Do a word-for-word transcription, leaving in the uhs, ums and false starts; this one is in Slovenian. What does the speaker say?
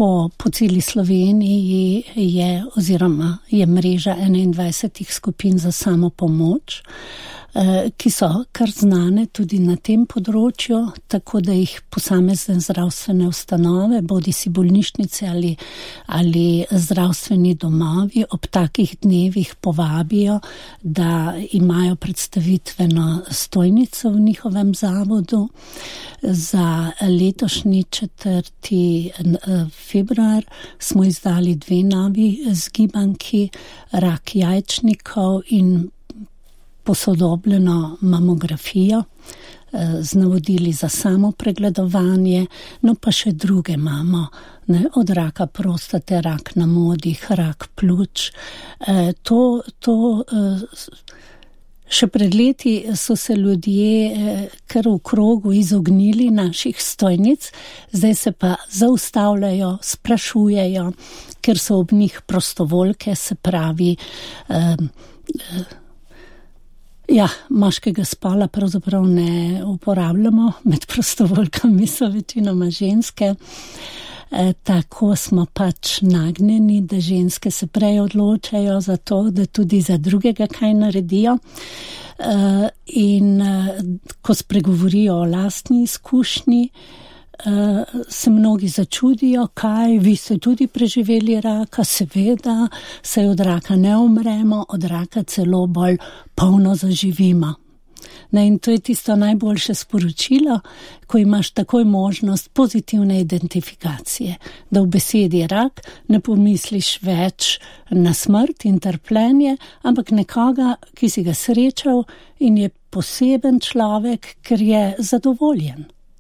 po, po celi Sloveniji je oziroma je mreža enaindvajsetih skupin za samopomoč, ki so kar znane tudi na tem področju, tako da jih posamezne zdravstvene ustanove, bodisi bolnišnice ali, ali zdravstveni domovi ob takih dnevih povabijo, da imajo predstavitveno stojnico v njihovem zavodu. Za letošnji četrti februar smo izdali dve novi zgibanki, rak jajčnikov in posodobljeno mamografijo z navodili za samo pregledovanje, no pa še druge imamo, ne, od raka prostate, rak na modih, rak pljuč. To, to še pred leti so se ljudje kar v krogu izognili naših stojnic, zdaj se pa zaustavljajo, sprašujejo, ker so ob njih prostovoljke, se pravi, ja, moškega spola pravzaprav ne uporabljamo, med prostovoljkami so večinoma ženske. E, tako smo pač nagnjeni, da ženske se prej odločajo za to, da tudi za drugega kaj naredijo. E, in ko spregovorijo o lastni izkušnji, Uh, se mnogi začudijo, kaj, vi ste tudi preživeli raka, seveda, saj od raka ne umremo, od raka celo bolj polno zaživimo. Ne, in to je tisto najboljše sporočilo, ko imaš takoj možnost pozitivne identifikacije, da v besedi rak ne pomisliš več na smrt in trpljenje, ampak nekoga, ki si ga srečal in je poseben človek, ker je zadovoljen.